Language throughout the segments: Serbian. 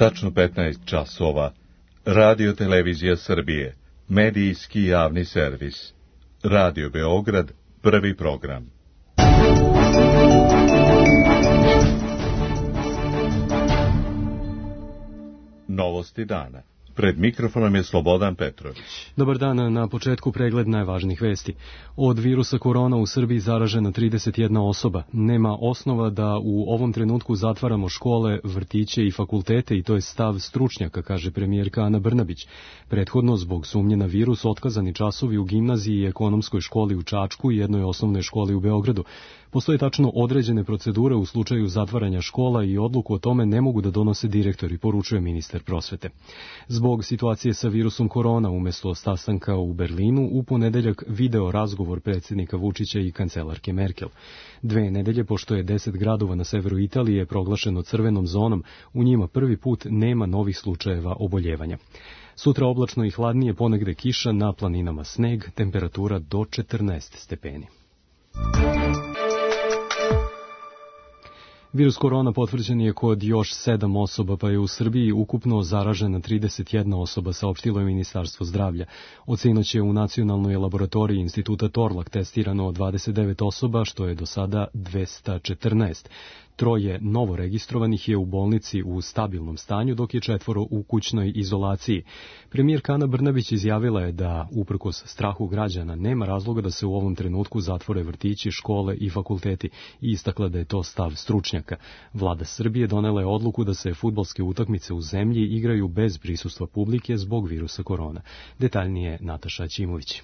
tačno 15 časova. Radio Televizija Srbije, medijski javni servis. Radio Beograd, prvi program. Novosti dana. Pred mikrofonom je Slobodan Petrović. Dobar dan, na početku pregled najvažnijih vesti. Od virusa korona u Srbiji zaražena 31 osoba. Nema osnova da u ovom trenutku zatvaramo škole, vrtiće i fakultete i to je stav stručnjaka, kaže premijerka Ana Brnabić. Prethodno, zbog sumnje na virus, otkazani časovi u gimnaziji i ekonomskoj školi u Čačku i jednoj osnovnoj školi u Beogradu. Postoje tačno određene procedure u slučaju zatvaranja škola i odluku o tome ne mogu da donose direktori, poručuje ministar prosvete. Zbog situacije sa virusom korona, umesto sastanka u Berlinu, u ponedeljak video razgovor predsjednika Vučića i kancelarke Merkel. 2 nedelje, pošto je 10 gradova na severu Italije proglašeno crvenom zonom, u njima prvi put nema novih slučajeva oboljevanja. Sutra oblačno i hladnije, ponegde kiša, na planinama sneg, temperatura do 14 stepeni. Virus korona potvrđen je kod još 7 osoba, pa je u Srbiji ukupno zaražena 31 osoba, saopštilo je Ministarstvo zdravlja. Od sinoć je u nacionalnoj laboratoriji Instituta Torlak testirano 29 osoba, što je do sada 214. 3 novo registrovanih je u bolnici u stabilnom stanju, dok je 4 u kućnoj izolaciji. Premijerka Ana Brnabić izjavila je da, uprkos strahu građana, nema razloga da se u ovom trenutku zatvore vrtići, škole i fakulteti i istakla da je to stav stručnjaka. Vlada Srbije donela je odluku da se fudbalske utakmice u zemlji igraju bez prisustva publike zbog virusa korona. Detaljnije Nataša Ćimović.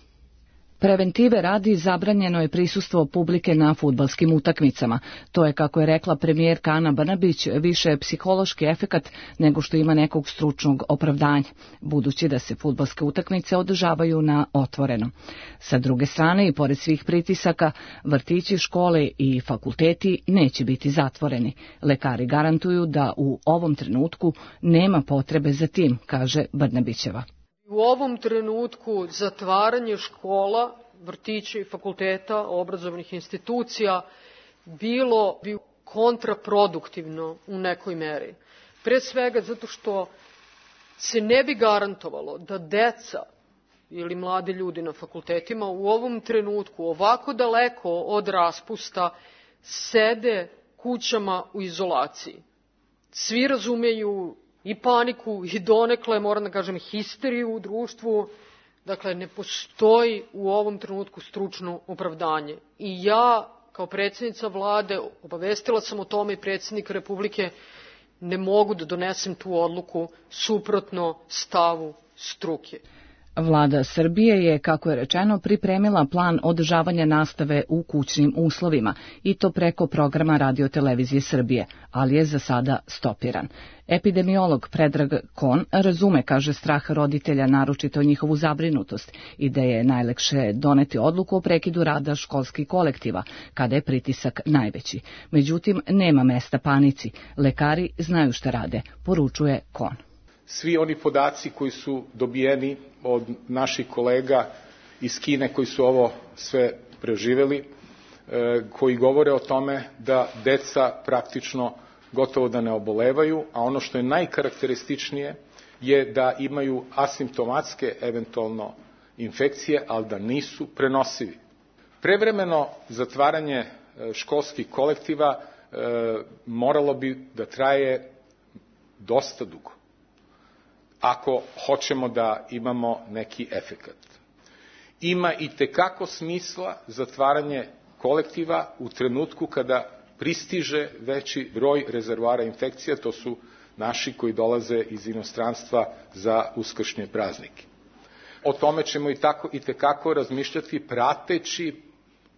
Preventive radi zabranjeno je prisustvo publike na fudbalskim utakmicama. To je, kako je rekla premijerka Ana Brnabić, više psihološki efekat nego što ima nekog stručnog opravdanja, budući da se fudbalske utakmice održavaju na otvorenom. Sa druge strane, i pored svih pritisaka, vrtići, škole i fakulteti neće biti zatvoreni. Lekari garantuju da u ovom trenutku nema potrebe za tim, kaže Brnabićeva. U ovom trenutku zatvaranje škola, vrtića i fakulteta, obrazovnih institucija bilo bi kontraproduktivno u nekoj meri. Pre svega zato što se ne bi garantovalo da deca ili mladi ljudi na fakultetima u ovom trenutku ovako daleko od raspusta sede kućama u izolaciji. Svi razumeju i paniku, i donekle, moram da kažem, histeriju u društvu. Dakle, ne postoji u ovom trenutku stručno opravdanje. I ja, kao predsjednica vlade, obavestila sam o tome i predsjednika Republike, ne mogu da donesem tu odluku suprotno stavu struke. Vlada Srbije je, kako je rečeno, pripremila plan održavanja nastave u kućnim uslovima, i to preko programa Radio Televizije Srbije, ali je za sada stopiran. Epidemiolog Predrag Kon razume, kaže, strah roditelja, naročito njihovu zabrinutost, i da je najlakše doneti odluku o prekidu rada školskih kolektiva, kada je pritisak najveći. Međutim, nema mesta panici. Lekari znaju šta rade, poručuje Kon. Svi oni podaci koji su dobijeni od naših kolega iz Kine koji su ovo sve preživeli, koji govore o tome da deca praktično gotovo da ne obolevaju, a ono što je najkarakterističnije je da imaju asimptomatske eventualno infekcije, ali da nisu prenosivi. Prevremeno zatvaranje školskih kolektiva moralo bi da traje dosta dugo, ako hoćemo da imamo neki efekat. Ima i tekako smisla zatvaranje kolektiva u trenutku kada pristiže veći broj rezervoara infekcija, to su naši koji dolaze iz inostranstva za uskršnje praznike. O tome ćemo i tekako razmišljati prateći,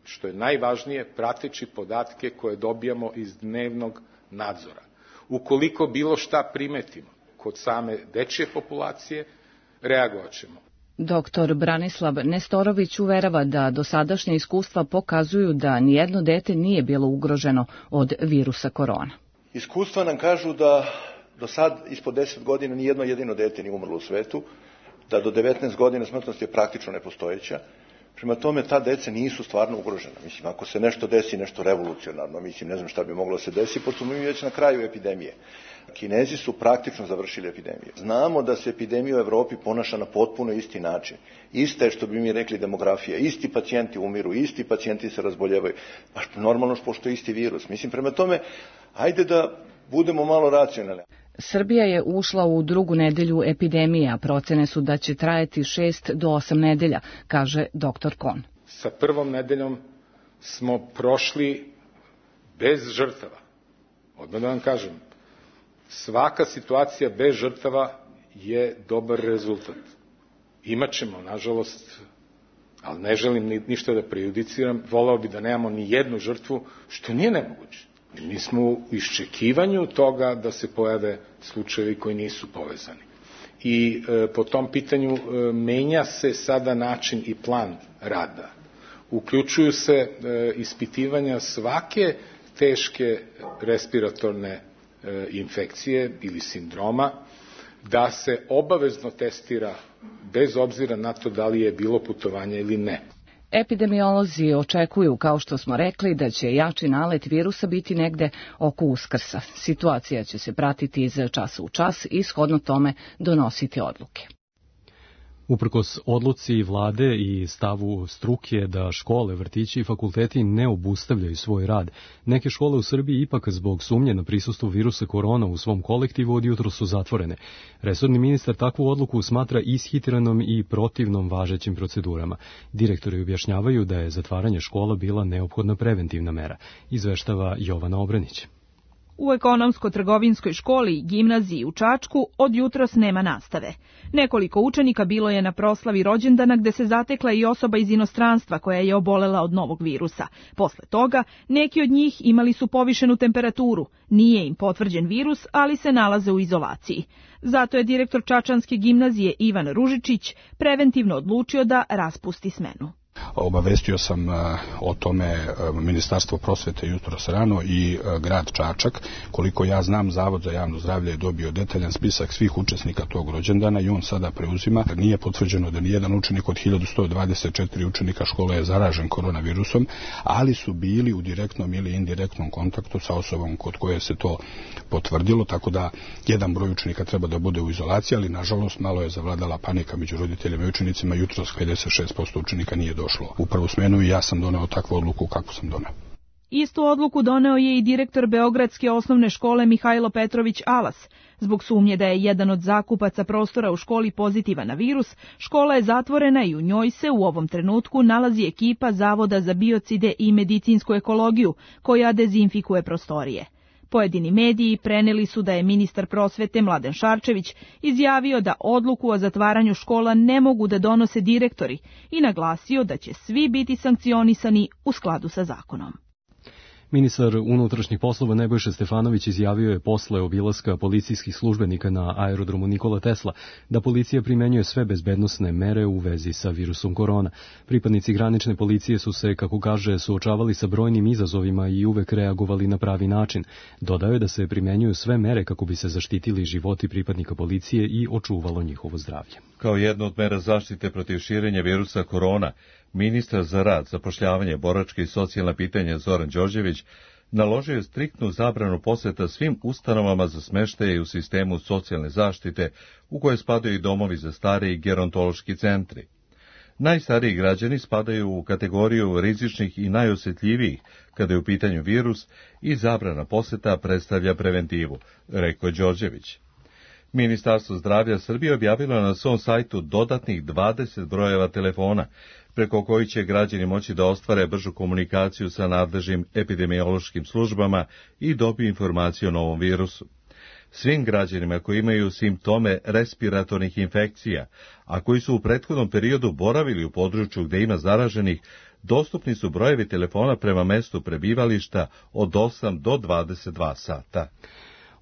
što je najvažnije, prateći podatke koje dobijamo iz dnevnog nadzora. Ukoliko bilo šta primetimo kod same dečje populacije, reagovat ćemo. Doktor Branislav Nestorović uverava da dosadašnje iskustva pokazuju da nijedno dete nije bilo ugroženo od virusa korona. Iskustva nam kažu da do sad ispod 10 godina nijedno jedino dete nije umrlo u svetu, da do 19 godina smrtnost je praktično nepostojeća. Prema tome, ta deca nisu stvarno ugrožena. Mislim, ako se nešto desi, nešto revolucionarno, mislim, ne znam šta bi moglo se desiti, pošto smo mi već na kraju epidemije. Kinezi su praktično završili epidemiju. Znamo da se epidemija u Evropi ponaša na potpuno isti način. Ista je, što bi mi rekli, demografija. Isti pacijenti umiru, isti pacijenti se razboljevaju. Pa normalno pošto je isti virus. Mislim, prema tome, ajde da budemo malo racionalni. Srbija je ušla u drugu nedelju epidemije, a procene su da će trajati 6 do 8 nedelja, kaže dr. Kon. Sa prvom nedeljom smo prošli bez žrtava. Odmah da vam kažem, svaka situacija bez žrtava je dobar rezultat. Imaćemo, nažalost, ali ne želim ništa da prejudiciram, voleo bi da nemamo ni jednu žrtvu, što nije nemoguće. Mi smo u iščekivanju toga da se pojave slučajevi koji nisu povezani. I po tom pitanju menja se sada način i plan rada. Uključuju se ispitivanja svake teške respiratorne infekcije ili sindroma, da se obavezno testira bez obzira na to da li je bilo putovanja ili ne. Epidemiolozi očekuju, kao što smo rekli, da će jači nalet virusa biti negde oko Uskrsa. Situacija će se pratiti iz časa u čas i shodno tome donositi odluke. Uprkos odluci vlade i stavu struke da škole, vrtići i fakulteti ne obustavljaju svoj rad, neke škole u Srbiji ipak zbog sumnje na prisustvo virusa korona u svom kolektivu od jutros su zatvorene. Resorni ministar takvu odluku smatra ishitrenom i protivnom važećim procedurama. Direktori objašnjavaju da je zatvaranje škola bila neophodna preventivna mera, izveštava Jovana Obranić. U ekonomsko-trgovinskoj školi i gimnaziji u Čačku od jutros nema nastave. Nekoliko učenika bilo je na proslavi rođendana gde se zatekla i osoba iz inostranstva koja je obolela od novog virusa. Posle toga, neki od njih imali su povišenu temperaturu. Nije im potvrđen virus, ali se nalaze u izolaciji. Zato je direktor Čačanske gimnazije Ivan Ružičić preventivno odlučio da raspusti smenu. Obavestio sam o tome Ministarstvo prosvete jutros rano i grad Čačak. Koliko ja znam, Zavod za javno zdravlje je dobio detaljan spisak svih učesnika tog rođendana i on sada preuzima. Nije potvrđeno da nijedan učenik od 1124 učenika škole je zaražen koronavirusom, ali su bili u direktnom ili indirektnom kontaktu sa osobom kod koje se to potvrdilo, tako da jedan broj učenika treba da bude u izolaciji, ali nažalost malo je zavladala panika među roditeljima i učenicima. Jutros 56% učenika nije došlo u prvu smenu i ja sam doneo takvu odluku kako sam doneo. Istu odluku doneo je i direktor Beogradske osnovne škole Mihajlo Petrović Alas. Zbog sumnje da je jedan od zakupaca prostora u školi pozitivan na virus, škola je zatvorena i u njoj se u ovom trenutku nalazi ekipa Zavoda za biocide i medicinsku ekologiju, koja dezinfikuje prostorije. Pojedini mediji preneli su da je ministar prosvete Mladen Šarčević izjavio da odluku o zatvaranju škola ne mogu da donose direktori i naglasio da će svi biti sankcionisani u skladu sa zakonom. Ministar unutrašnjih poslova Nebojša Stefanović izjavio je posle obilaska policijskih službenika na aerodromu Nikola Tesla da policija primenjuje sve bezbednosne mere u vezi sa virusom korona. Pripadnici granične policije su se, kako kaže, suočavali sa brojnim izazovima i uvek reagovali na pravi način. Dodao je da se primenjuju sve mere kako bi se zaštitili životi pripadnika policije i očuvalo njihovo zdravlje. Kao jedno od mera zaštite protiv širenja virusa korona, ministar za rad, zapošljavanje, boračke i socijalna pitanja Zoran Đorđević naložio je striktnu zabranu poseta svim ustanovama za smeštaje u sistemu socijalne zaštite, u koje spadaju i domovi za stare i gerontološki centri. Najstariji građani spadaju u kategoriju rizičnih i najosjetljivijih kada je u pitanju virus i zabrana poseta predstavlja preventivu, rekao Đorđević. Ministarstvo zdravlja Srbije objavilo je na svom sajtu dodatnih 20 brojeva telefona, preko koji će građani moći da ostvare bržu komunikaciju sa nadležnim epidemiološkim službama i dobiju informaciju o novom virusu. Svim građanima koji imaju simptome respiratornih infekcija, a koji su u prethodnom periodu boravili u području gde ima zaraženih, dostupni su brojevi telefona prema mestu prebivališta od 8 do 22 sata.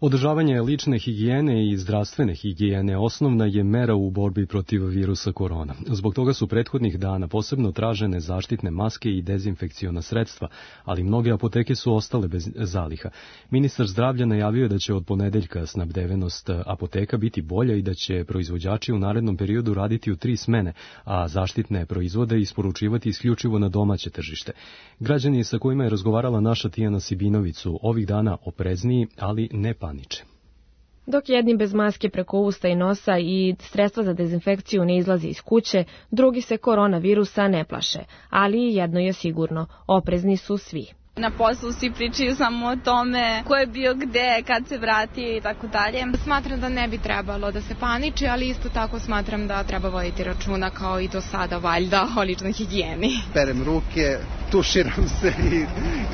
Održavanje lične higijene i zdravstvene higijene osnovna je mera u borbi protiv virusa korona. Zbog toga su prethodnih dana posebno tražene zaštitne maske i dezinfekciona sredstva, ali mnoge apoteke su ostale bez zaliha. Ministar zdravlja najavio je da će od ponedeljka snabdevenost apoteka biti bolja i da će proizvođači u narednom periodu raditi u 3 smene, a zaštitne proizvode isporučivati isključivo na domaće tržište. Građani sa kojima je razgovarala naša Tijana Sibinović su ovih dana oprezniji, ali ne paniče. Dok jedni bez maske preko usta i nosa i sredstva za dezinfekciju ne izlazi iz kuće, drugi se koronavirusa ne plaše. Ali jedno je sigurno, oprezni su svi. Na poslu svi pričaju samo o tome ko je bio gde, kad se vrati i tako dalje. Smatram da ne bi trebalo da se paniči, ali isto tako smatram da treba voditi računa kao i do sada valjda o ličnoj higijeni. Perem ruke, tuširam se i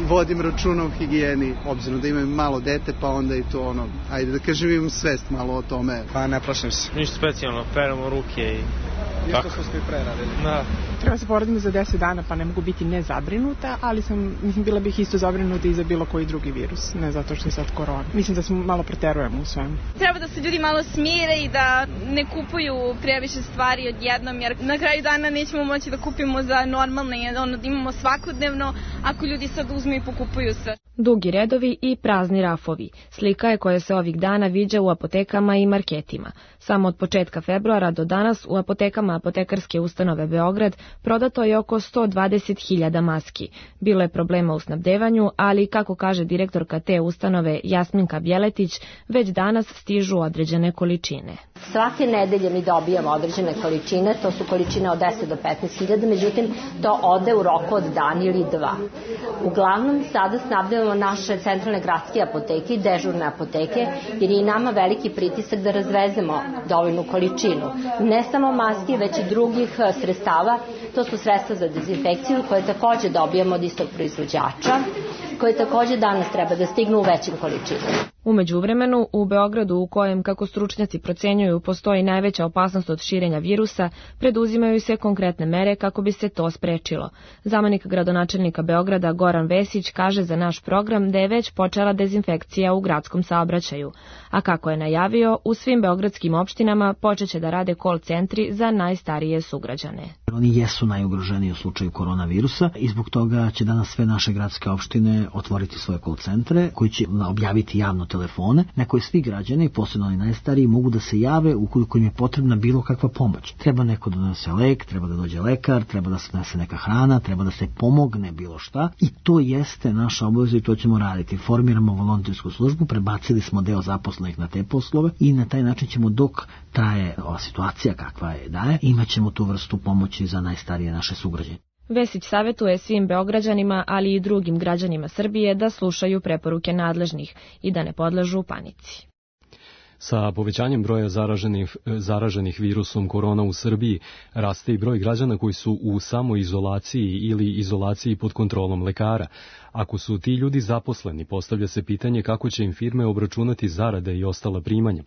vodim računa o higijeni, obzirom da imam malo dete, pa onda i to ajde da kažem, imam svest malo o tome. Pa ne plašim se. Ništa specijalno, peremo ruke i tako. Isto smo i pre radili. Da. Treba se poraditi za 10 dana, pa ne mogu biti nezabrinuta, ali bila bih isto zabrinuta i za bilo koji drugi virus, ne zato što je sad korona. Mislim da smo malo preterujemo u svemu. Treba da se ljudi malo smire i da ne kupuju previše stvari odjednom, jer na kraju dana nećemo moći da kupimo za normalne, da imamo svakodnevno, ako ljudi sad uzmu i pokupuju sve. Dugi redovi i prazni rafovi. Slika je koja se ovih dana viđa u apotekama i marketima. Samo od početka februara do danas u apotekama Apotekarske ustanove Beograd prodato je oko 120.000 maski. Bilo je problema u snabdevanju, ali kako kaže direktorka te ustanove Jasminka Bjeletić, već danas stižu određene količine. Svake nedelje mi dobijamo određene količine, to su količine od 10 do 15.000, međutim to ode u roku od dan ili 2. Uglavnom sada snabdevamo naše centralne gradske apoteke i dežurne apoteke, jer je i nama veliki pritisak da razvezemo dovoljnu količinu. Ne samo maski, već i drugih sredstava, to su sredstva za dezinfekciju koje takođe dobijamo od istog proizvođača, koje takođe danas treba da stignu u većim količinama. U međuvremenu, u Beogradu, u kojem, kako stručnjaci procenjuju, postoji najveća opasnost od širenja virusa, preduzimaju se konkretne mere kako bi se to sprečilo. Zamenik gradonačelnika Beograda Goran Vesić kaže za naš program da je već počela dezinfekcija u gradskom saobraćaju, a kako je najavio, u svim beogradskim opštinama počeće da rade call centri za najstarije sugrađane. Oni jesu najugroženiji u slučaju koronavirusa i zbog toga će danas sve naše gradske opštine otvoriti svoje call centre koji će objaviti javno telefone na koje svi građani, posebno oni najstariji, mogu da se jave ukoliko im je potrebna bilo kakva pomoć. Treba neko da donese lek, treba da dođe lekar, treba da se donese neka hrana, treba da se pomogne bilo šta i to jeste naša obaveza i to ćemo raditi. Formiramo volontersku službu, prebacili smo deo zaposlenih na te poslove i na taj način ćemo dok traje ova situacija kakva je daje, imat ćemo tu vrstu pomoći za najstarije naše sugrađane. Vesić savjetuje svim Beograđanima, ali i drugim građanima Srbije da slušaju preporuke nadležnih i da ne podležu panici. Sa povećanjem broja zaraženih virusom korona u Srbiji raste i broj građana koji su u samoizolaciji ili izolaciji pod kontrolom lekara. Ako su ti ljudi zaposleni, postavlja se pitanje kako će im firme obračunati zarade i ostala primanja.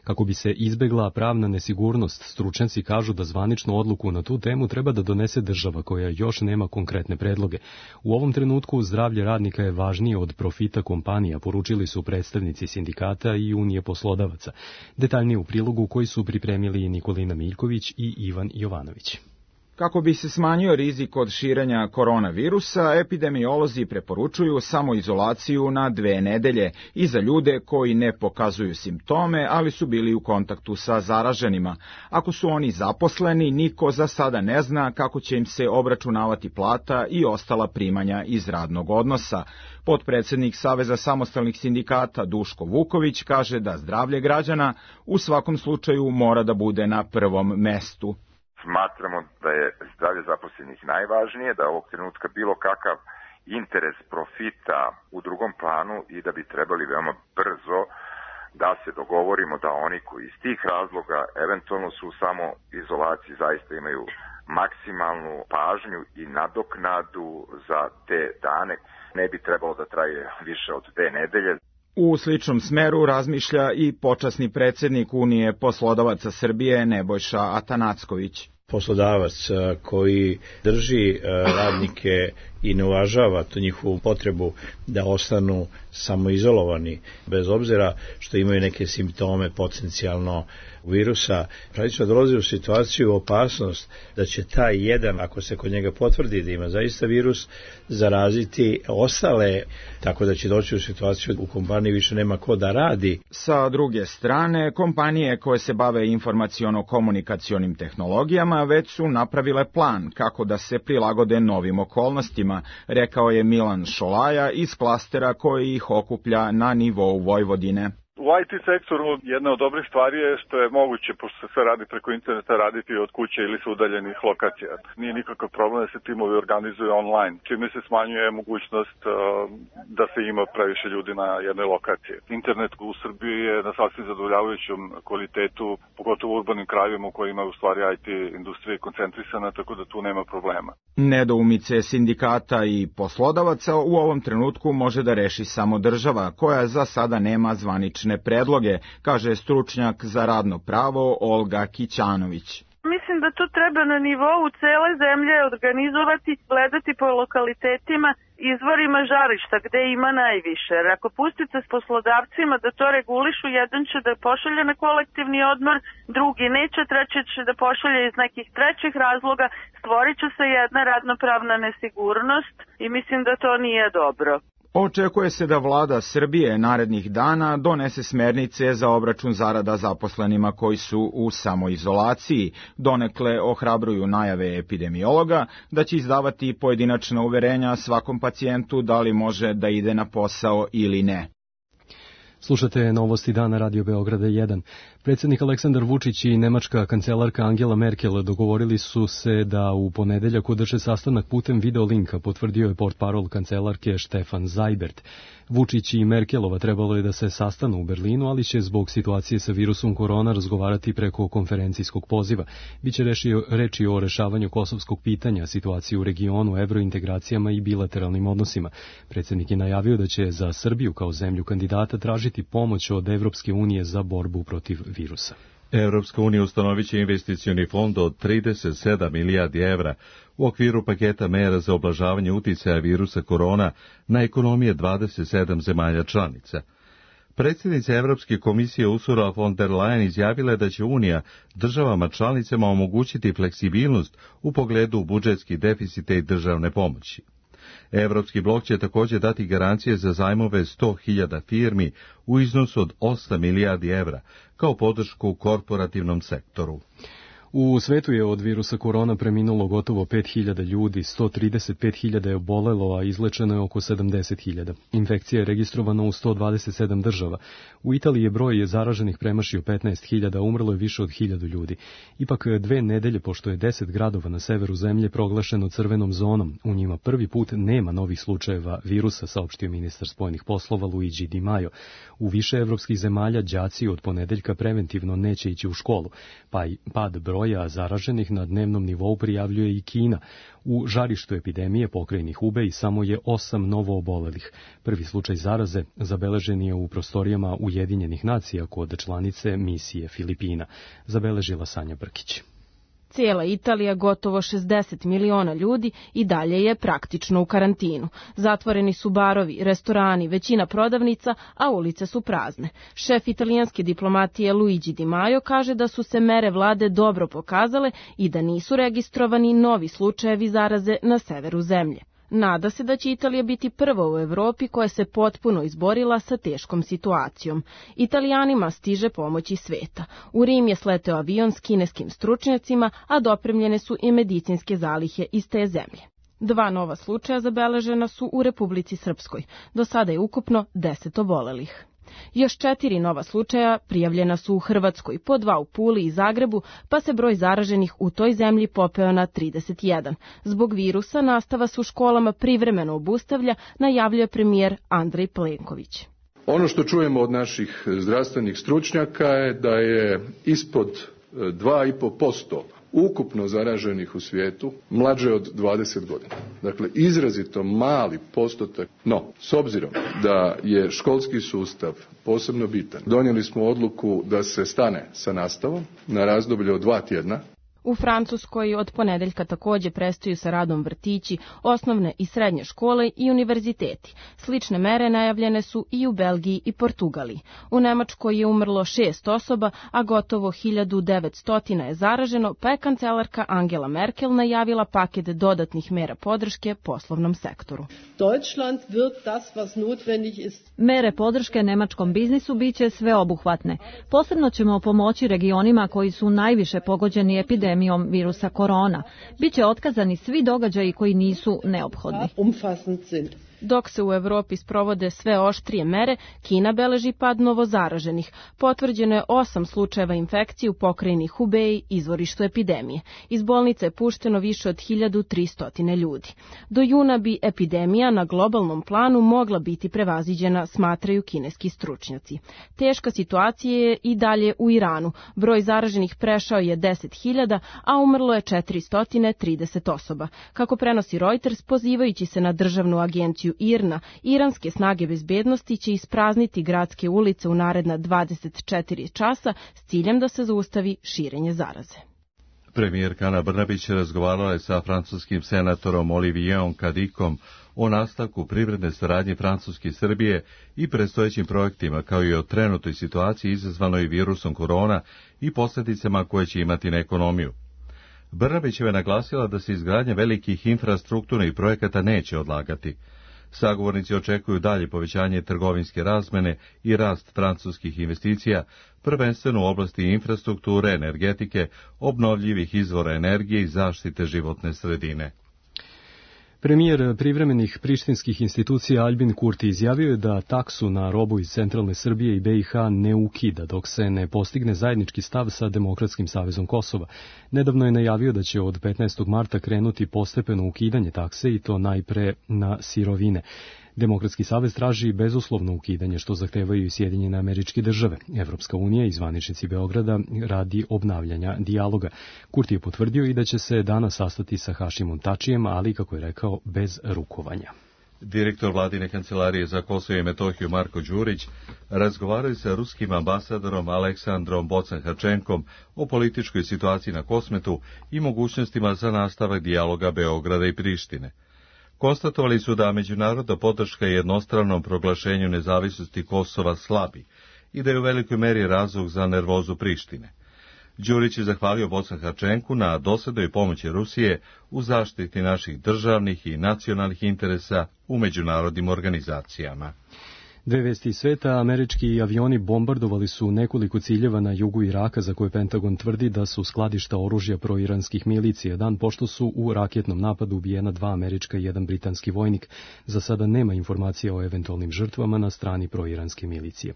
Kako bi se izbegla pravna nesigurnost, stručnjaci kažu da zvaničnu odluku na tu temu treba da donese država koja još nema konkretne predloge. U ovom trenutku zdravlje radnika je važnije od profita kompanija, poručili su predstavnici sindikata i Unije poslodavaca. Detaljnije u prilogu koji su pripremili Nikolina Miljković i Ivan Jovanović. Kako bi se smanjio rizik od širenja koronavirusa, epidemiolozi preporučuju samoizolaciju na 2 nedelje i za ljude koji ne pokazuju simptome, ali su bili u kontaktu sa zaraženima. Ako su oni zaposleni, niko za sada ne zna kako će im se obračunavati plata i ostala primanja iz radnog odnosa. Potpredsednik Saveza samostalnih sindikata Duško Vuković kaže da zdravlje građana u svakom slučaju mora da bude na prvom mestu. Smatramo da je zdravlje zaposlenih najvažnije, da je ovog trenutka bilo kakav interes profita u drugom planu i da bi trebali veoma brzo da se dogovorimo da oni koji iz tih razloga eventualno su u samoizolaciji zaista imaju maksimalnu pažnju i nadoknadu za te dane. Ne bi trebalo da traje više od 2 nedelje. U sličnom smeru razmišlja i počasni predsjednik Unije poslodavaca Srbije Nebojša Atanacković. Poslodavac koji drži radnike i ne uvažava tu njihovu potrebu da ostanu samoizolovani, bez obzira što imaju neke simptome potencijalno virusa. Praktično dolazi u situaciju, opasnost da će taj jedan, ako se kod njega potvrdi da ima zaista virus, zaraziti ostale, tako da će doći u situaciju u kompaniji više nema ko da radi. Sa druge strane, kompanije koje se bave informaciono-komunikacionim tehnologijama već su napravile plan kako da se prilagode novim okolnostima, rekao je Milan Šolaja iz klastera koji ih okuplja na nivou Vojvodine. U IT sektoru jedna od dobrih stvari je što je moguće, pošto se sve radi preko interneta, raditi od kuće ili sa udaljenih lokacija. Nije nikakav problem da se timovi organizuju online, čime se smanjuje mogućnost da se ima previše ljudi na jednoj lokaciji. Internet u Srbiji je na sasvim zadovoljavajućem kvalitetu, pogotovo u urbanim krajevima u kojima je u stvari IT industrija koncentrisana, tako da tu nema problema. Nedoumice sindikata i poslodavaca u ovom trenutku može da reši samo država, koja za sada nema zvanične predloge, kaže stručnjak za radno pravo Olga Kićanović. Mislim da to treba na nivou cele zemlje organizovati, gledati po lokalitetima, izvorima žarišta gde ima najviše. Jer ako pustite s poslodavcima da to regulišu, jedan će da pošalje na kolektivni odmor, drugi neće, treći će da pošalje iz nekih trećih razloga, stvorit će se jedna radnopravna nesigurnost i mislim da to nije dobro. Očekuje se da vlada Srbije narednih dana donese smernice za obračun zarada zaposlenima koji su u samoizolaciji. Donekle ohrabruju najave epidemiologa da će izdavati pojedinačna uverenja svakom pacijentu da li može da ide na posao ili ne. Slušate Novosti dana Radio Beograda 1. Predsjednik Aleksandar Vučić i nemačka kancelarka Angela Merkel dogovorili su se da u ponedeljak održe sastanak putem videolinka, potvrdio je portparol kancelarke Stefan Seibert. Vučić i Merkelova trebalo je da se sastanu u Berlinu, ali će zbog situacije sa virusom korona razgovarati preko konferencijskog poziva. Biće reči o rešavanju kosovskog pitanja, situaciji u regionu, evrointegracijama i bilateralnim odnosima. Predsjednik je najavio da će za Srbiju kao zemlju kandidata tražiti pomoć od Evropske unije za borbu protiv virusa. Evropska unija ustanovit će investicioni fond od 37 milijardi evra u okviru paketa mera za oblažavanje uticaja virusa korona na ekonomije 27 zemalja članica. Predsjednica Evropske komisije Ursula von der Leyen izjavila je da će Unija državama članicama omogućiti fleksibilnost u pogledu budžetskih deficita i državne pomoći. Evropski blok će također dati garancije za zajmove 100.000 firmi u iznosu od 8 milijardi evra kao podršku korporativnom sektoru. U svetu je od virusa korona preminulo gotovo 5.000 ljudi, 135.000 je obolelo, a izlečeno je oko 70.000. Infekcija je registrovana u 127 država. U Italiji je broj zaraženih premašio 15.000, umrlo je više od 1.000 ljudi. Ipak 2 nedelje, pošto je 10 gradova na severu zemlje proglašeno crvenom zonom, u njima prvi put nema novih slučajeva virusa, saopštio ministar spoljnih poslova Luigi Di Maio. U više evropskih zemalja đaci od ponedeljka preventivno neće ići u školu, pa i pad broja zaraženih na dnevnom nivou prijavljuje i Kina. U žarištu epidemije pokrajini Hubei samo je 8 novo obolelih. Prvi slučaj zaraze zabeležen je u prostorijama Ujedinjenih nacija kod članice misije Filipina, zabeležila Sanja Brkić. Cijela Italija, gotovo 60 miliona ljudi, i dalje je praktično u karantinu. Zatvoreni su barovi, restorani, većina prodavnica, a ulice su prazne. Šef italijanske diplomatije Luigi Di Maio kaže da su se mere vlade dobro pokazale i da nisu registrovani novi slučajevi zaraze na severu zemlje. Nada se da će Italija biti prva u Evropi koja se potpuno izborila sa teškom situacijom. Italijanima stiže pomoć iz sveta. U Rim je sleteo avion s kineskim stručnjacima, a dopremljene su i medicinske zalihe iz te zemlje. 2 nova slučaja zabeležena su u Republici Srpskoj. Do sada je ukupno 10 obolelih. Još 4 nova slučaja prijavljena su u Hrvatskoj, po 2 u Puli i Zagrebu, pa se broj zaraženih u toj zemlji popeo na 31. Zbog virusa nastava se u školama privremeno obustavlja, najavljuje premijer Andrej Plenković. Ono što čujemo od naših zdravstvenih stručnjaka je da je ispod 2,5% ukupno zaraženih u svijetu mlađe od 20 godina. Dakle, izrazito mali postotak. No, s obzirom da je školski sustav posebno bitan, donijeli smo odluku da se stane sa nastavom na razdoblje od 2 tjedna. U Francuskoj od ponedeljka takođe prestaju sa radom vrtići, osnovne i srednje škole i univerziteti. Slične mere najavljene su i u Belgiji i Portugaliji. U Nemačkoj je umrlo 6 osoba, a gotovo 1900 je zaraženo, pa je kancelarka Angela Merkel najavila paket dodatnih mera podrške poslovnom sektoru. Mere podrške nemačkom biznisu biće sveobuhvatne. Posebno ćemo pomoći regionima koji su najviše pogođeni epidemijom virusa korona. Biće otkazani svi događaji koji nisu neophodni. Dok se u Evropi sprovode sve oštrije mere, Kina beleži pad novozaraženih. Potvrđeno je 8 slučajeva infekcije u pokrajini Hubei, izvorištu epidemije. Iz bolnice je pušteno više od 1300 ljudi. Do juna bi epidemija na globalnom planu mogla biti prevaziđena, smatraju kineski stručnjaci. Teška situacija je i dalje u Iranu. Broj zaraženih prešao je 10.000, a umrlo je 430 osoba. Kako prenosi Reuters, pozivajući se na državnu agenciju IRNA, iranske snage bezbednosti će isprazniti gradske ulice u naredna 24 časa s ciljem da se zaustavi širenje zaraze. Premijerka Ana Brnabić razgovarala je sa francuskim senatorom Olivierom Cadiquom o nastavku privredne saradnje Francuske i Srbije i predstojećim projektima, kao i o trenutnoj situaciji izazvanoj virusom korona i posljedicama koje će imati na ekonomiju. Brnabićeva je naglasila da se izgradnja velikih infrastrukturnih projekata neće odlagati. Sagovornici očekuju dalje povećanje trgovinske razmene i rast francuskih investicija, prvenstveno u oblasti infrastrukture, energetike, obnovljivih izvora energije i zaštite životne sredine. Premijer privremenih prištinskih institucija Albin Kurti izjavio je da taksu na robu iz centralne Srbije i BiH ne ukida dok se ne postigne zajednički stav sa Demokratskim savezom Kosova. Nedavno je najavio da će od 15. marta krenuti postepeno ukidanje takse i to najpre na sirovine. Demokratski savez traži bezuslovno ukidanje, što zahtevaju i Sjedinjene Američke Države. Evropska unija i zvaničnici Beograda radi obnavljanja dijaloga. Kurti je potvrdio i da će se danas sastati sa Hašimom Tačijem, ali, kako je rekao, bez rukovanja. Direktor vladine kancelarije za Kosovo i Metohiju Marko Đurić razgovaraju sa ruskim ambasadorom Aleksandrom Bocan-Hačenkom o političkoj situaciji na Kosmetu i mogućnostima za nastavak dijaloga Beograda i Prištine. Konstatovali su da međunarodna podrška jednostranom proglašenju nezavisnosti Kosova slabi i da je u velikoj meri razlog za nervozu Prištine. Đurić je zahvalio Bocan-Hačenku na dosadnoj pomoći Rusije u zaštiti naših državnih i nacionalnih interesa u međunarodnim organizacijama. Dve vesti iz sveta, američki avioni bombardovali su nekoliko ciljeva na jugu Iraka za koje Pentagon tvrdi da su skladišta oružja proiranskih milicija, dan pošto su u raketnom napadu ubijena 2 američka i 1 britanski vojnik. Za sada nema informacija o eventualnim žrtvama na strani proiranske milicije.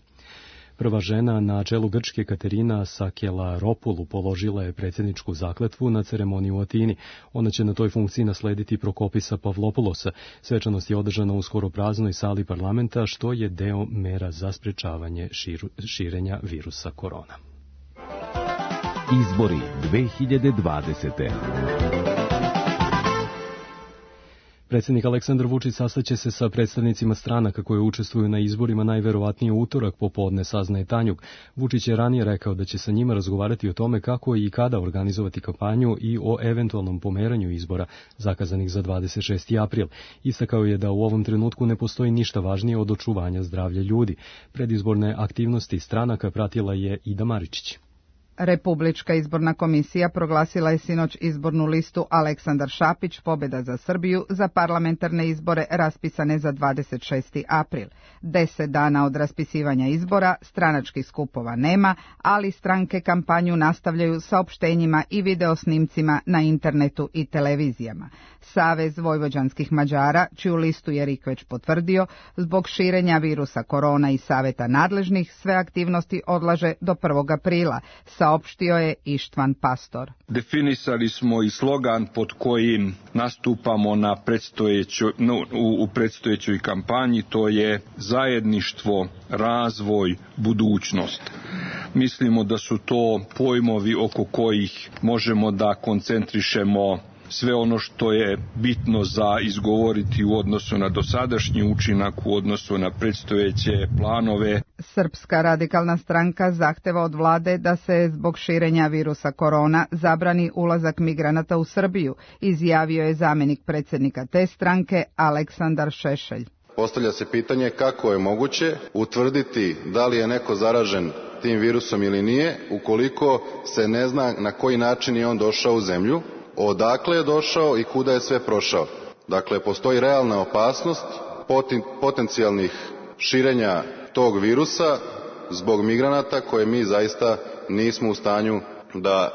Prva žena na čelu Grčke, Katerina Sakelaropulu, položila je predsjedničku zakletvu na ceremoniji u Atini. Ona će na toj funkciji naslediti Prokopisa Pavlopoulosa. Svečanost je održana u skoro praznoj sali parlamenta, što je deo mera za sprečavanje širenja virusa korona. Izbori 2020. Predsjednik Aleksandar Vučić sastaće se sa predstavnicima stranaka koje učestvuju na izborima najverovatnije utorak popodne, saznaje Tanjug. Vučić je ranije rekao da će sa njima razgovarati o tome kako i kada organizovati kampanju i o eventualnom pomeranju izbora zakazanih za 26. april. Istakao je da u ovom trenutku ne postoji ništa važnije od očuvanja zdravlja ljudi. Predizborne aktivnosti stranaka pratila je Ida Maričić. Republička izborna komisija proglasila je sinoć izbornu listu Aleksandar Šapić, pobjeda za Srbiju, za parlamentarne izbore raspisane za 26. april. 10 dana od raspisivanja izbora stranačkih skupova nema, ali stranke kampanju nastavljaju saopštenjima i videosnimcima na internetu i televizijama. Savez vojvođanskih Mađara, čiju listu je RIK već potvrdio, zbog širenja virusa korona i saveta nadležnih, sve aktivnosti odlaže do 1. aprila, saopštio je Ištvan Pastor. Definisali smo i slogan pod kojim nastupamo u predstojećoj kampanji, to je zajedništvo, razvoj, budućnost. Mislimo da su to pojmovi oko kojih možemo da koncentrišemo sve ono što je bitno za izgovoriti u odnosu na dosadašnji učinak, u odnosu na predstojeće planove. Srpska radikalna stranka zahteva od vlade da se zbog širenja virusa korona zabrani ulazak migranata u Srbiju, izjavio je zamjenik predsjednika te stranke Aleksandar Šešelj. Postavlja se pitanje kako je moguće utvrditi da li je neko zaražen tim virusom ili nije, ukoliko se ne zna na koji način je on došao u zemlju, odakle je došao i kuda je sve prošao. Dakle, postoji realna opasnost potencijalnih širenja tog virusa zbog migranata koje mi zaista nismo u stanju da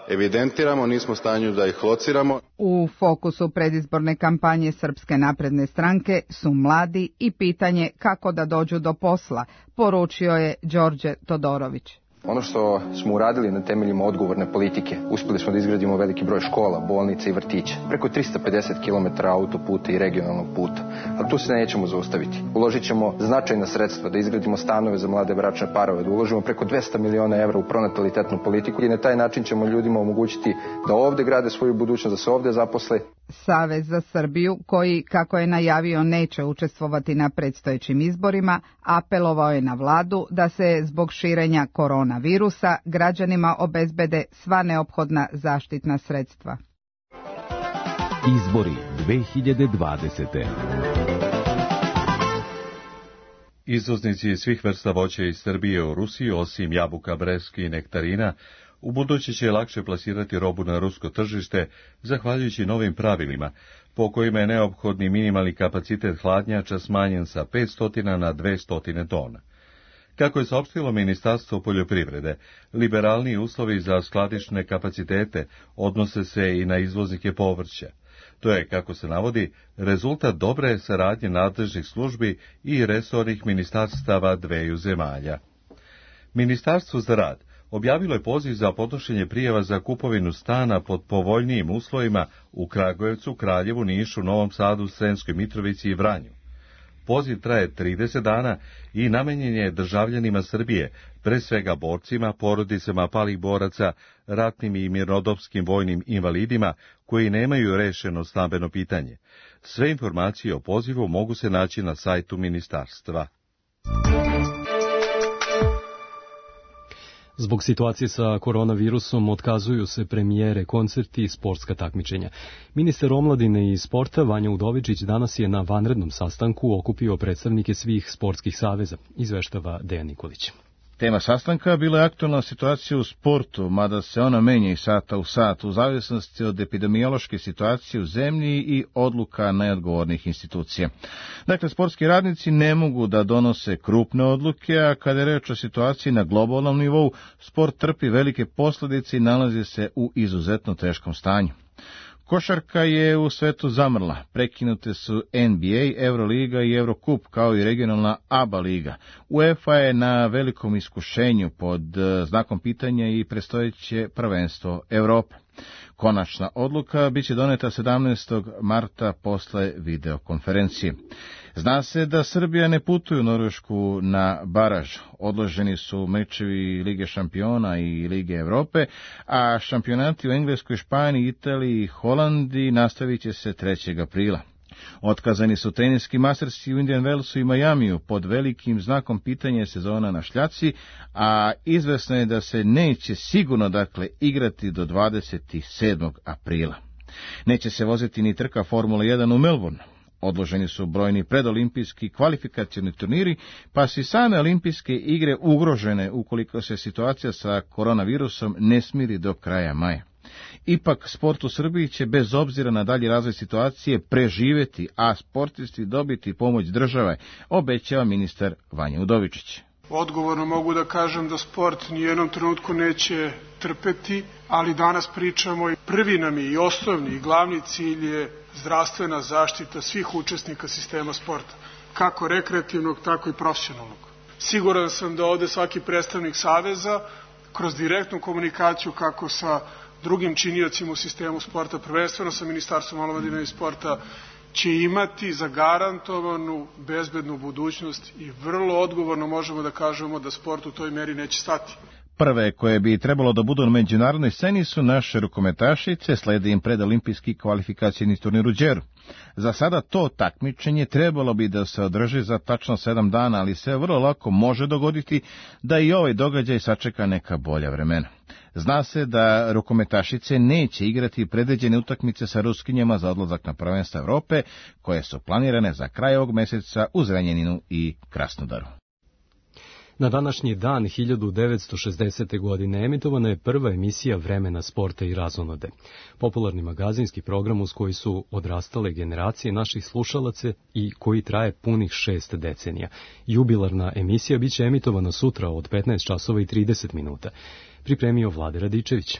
evidentiramo, nismo u stanju da ih lociramo. U fokusu predizborne kampanje Srpske napredne stranke su mladi i pitanje kako da dođu do posla, poručio je Đorđe Todorović. Ono što smo uradili na temeljima odgovorne politike, uspjeli smo da izgradimo veliki broj škola, bolnica i vrtića, preko 350 km autoputa i regionalnog puta, ali tu se nećemo zaustaviti. Uložit ćemo značajna sredstva da izgradimo stanove za mlade bračne parove, da uložimo preko 200 miliona evra u pronatalitetnu politiku i na taj način ćemo ljudima omogućiti da ovde grade svoju budućnost, da se ovde zaposle. Savez za Srbiju, koji, kako je najavio, neće učestvovati na predstojećim izborima, apelovao je na vladu da se zbog širenja koronavirusa građanima obezbede sva neophodna zaštitna sredstva. Izbori 2020. Izvoznici svih vrsta voća iz Srbije u Rusiju, osim jabuka, breskvi i nektarina, u buduće će lakše plasirati robu na rusko tržište, zahvaljujući novim pravilima, po kojima je neophodni minimalni kapacitet hladnjača smanjen sa 500 na 200 tona. Kako je saopštilo Ministarstvo poljoprivrede, liberalniji uslovi za skladišne kapacitete odnose se i na izvoznike povrća. To je, kako se navodi, rezultat dobre saradnje nadležnih službi i resornih ministarstava dveju zemalja. Ministarstvo za rad objavilo je poziv za podnošenje prijava za kupovinu stana pod povoljnijim uslovima u Kragujevcu, Kraljevu, Nišu, Novom Sadu, Sremskoj Mitrovici i Vranju. Poziv traje 30 dana i namenjen je državljanima Srbije, pre svega borcima, porodicama palih boraca, ratnim i mirnodopskim vojnim invalidima koji nemaju rešeno stambeno pitanje. Sve informacije o pozivu mogu se naći na sajtu ministarstva. Zbog situacije sa koronavirusom otkazuju se premijere, koncerti i sportska takmičenja. Ministar omladine i sporta Vanja Udovičić danas je na vanrednom sastanku okupio predstavnike svih sportskih saveza, izveštava Dejan Nikolić. Tema sastanka bila je aktualna situacija u sportu, mada se ona menja iz sata u sat, u zavisnosti od epidemiološke situacije u zemlji i odluka najodgovornih institucija. Dakle, sportski radnici ne mogu da donose krupne odluke, a kada je reč o situaciji na globalnom nivou, sport trpi velike posljedice i nalazi se u izuzetno teškom stanju. Košarka je u svetu zamrla, prekinute su NBA, Euroliga i Eurocup, kao i regionalna ABA liga. UEFA je na velikom iskušenju pod znakom pitanja i predstojeće prvenstvo Evrope. Konačna odluka biće doneta 17. marta posle videokonferencije. Zna se da Srbija ne putuje u Norvešku na baraž. Odloženi su mečevi Lige šampiona i Lige Evrope, a šampionati u Engleskoj, Španiji, Italiji i Holandiji nastavit će se 3. aprila. Otkazani su teniski mastersi u Indian Wellsu i Majamiju pod velikim znakom pitanja sezona na šljaci, a izvesno je da se neće sigurno igrati do 27. aprila. Neće se voziti ni trka Formula 1 u Melbourne. Odloženi su brojni predolimpijski kvalifikacioni turniri, pa su i same olimpijske igre ugrožene ukoliko se situacija sa koronavirusom ne smiri do kraja maja. Ipak, sport u Srbiji će bez obzira na dalji razvoj situacije preživjeti, a sportisti dobiti pomoć države, obećava ministar Vanja Udovičić. Odgovorno mogu da kažem da sport nijednom trenutku neće trpeti, ali danas pričamo i prvi nam je i osnovni i glavni cilj je zdravstvena zaštita svih učesnika sistema sporta, kako rekreativnog, tako i profesionalnog. Siguran sam da ovde svaki predstavnik saveza, kroz direktnu komunikaciju kako sa drugim činiocima u sistemu sporta, prvenstveno sa Ministarstvom omladine i sporta, će imati zagarantovanu bezbednu budućnost i vrlo odgovorno možemo da kažemo da sport u toj meri neće stati. Prve koje bi trebalo da budu na međunarodnoj sceni su naše rukometašice, slede im predolimpijski kvalifikacijni turnir u Đeru. Za sada to takmičenje trebalo bi da se održi za tačno 7 dana, ali se vrlo lako može dogoditi da i ovaj događaj sačeka neka bolja vremena. Zna se da rukometašice neće igrati predviđene utakmice sa Ruskinjama za odlazak na prvenstvo Evrope, koje su planirane za kraj ovog meseca u Zrenjaninu i Krasnodaru. Na današnji dan 1960. godine emitovana je prva emisija Vremena, sporta i razonode. Popularni magazinski program uz koji su odrastale generacije naših slušalaca i koji traje punih 6 decenija. Jubilarna emisija biće emitovana sutra od 15 časova i 30 minuta. Pripremio Vlade Radičević.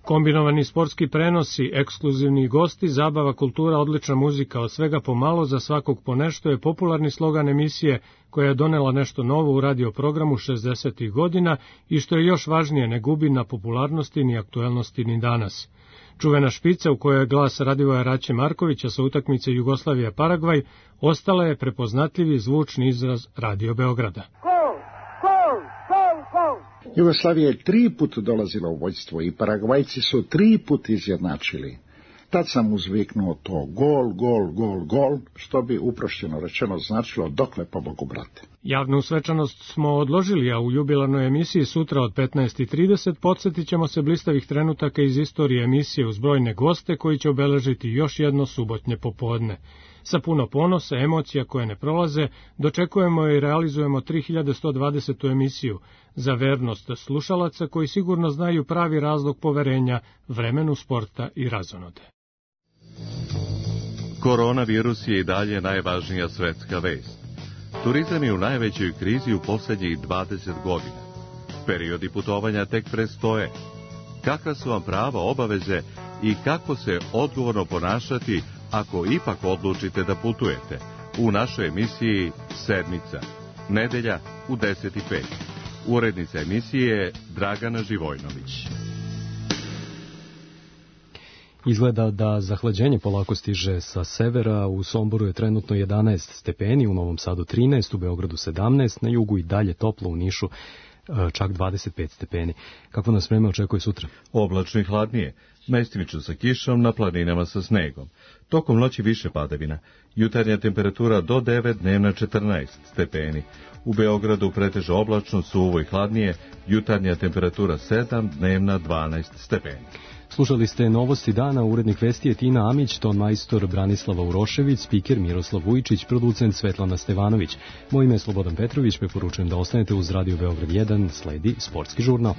Kombinovani sportski prenosi, ekskluzivni gosti, zabava, kultura, odlična muzika, od svega pomalo, za svakog po nešto je popularni slogan emisije koja je donela nešto novo u radioprogramu 60. godina i što je još važnije, ne gubi na popularnosti ni aktuelnosti ni danas. Čuvena špica u kojoj je glas Radivoja Raće Markovića sa utakmice Jugoslavija-Paragvaj ostala je prepoznatljivi zvučni izraz Radio Beograda. Jugoslavija je 3 puta dolazila u vođstvo i Paragvajci su 3 puta izjednačili. Tad sam uzviknuo to gol, gol, gol, gol, što bi uprošćeno rečeno značilo dokle po Bogu brate. Javnu svečanost smo odložili, a u jubilarnoj emisiji sutra od 15:30 podsjetit ćemo se blistavih trenutaka iz istorije emisije uz brojne goste koji će obeležiti još jedno subotnje popodne. Sa puno ponosa, emocija koje ne prolaze, dočekujemo i realizujemo 3120. emisiju za vernost slušalaca koji sigurno znaju pravi razlog poverenja Vremenu, sporta i razonode. Koronavirus je i dalje najvažnija svetska vest. Turizam je u najvećoj krizi u posljednjih 20 godina. Periodi putovanja tek predstoje. Kakva su vam prava, obaveze i kako se odgovorno ponašati ako ipak odlučite da putujete? U našoj emisiji Sedmica, nedelja u 10:05. Urednica emisije je Dragana Živojnović. Izgleda da zahlađenje polako stiže sa severa. U Somboru je trenutno 11 stepeni, u Novom Sadu 13, u Beogradu 17, na jugu i dalje toplo, u Nišu čak 25 stepeni. Kako nas vreme očekuje sutra? Oblačno i hladnije, mestimično sa kišom, na planinama sa snegom. Tokom noći više padavina. Jutarnja temperatura do 9, dnevna 14 stepeni. U Beogradu preteže oblačno, suvo i hladnije, jutarnja temperatura 7, dnevna 12 stepeni. Slušali ste novosti dana, urednik vesti je Tina Amić, ton majstor Branislava Urošević, spiker Miroslav Vujčić, producent Svetlana Stevanović. Moje ime je Slobodan Petrović, preporučujem da ostanete uz Radio Beograd 1, sledi sportski žurnal.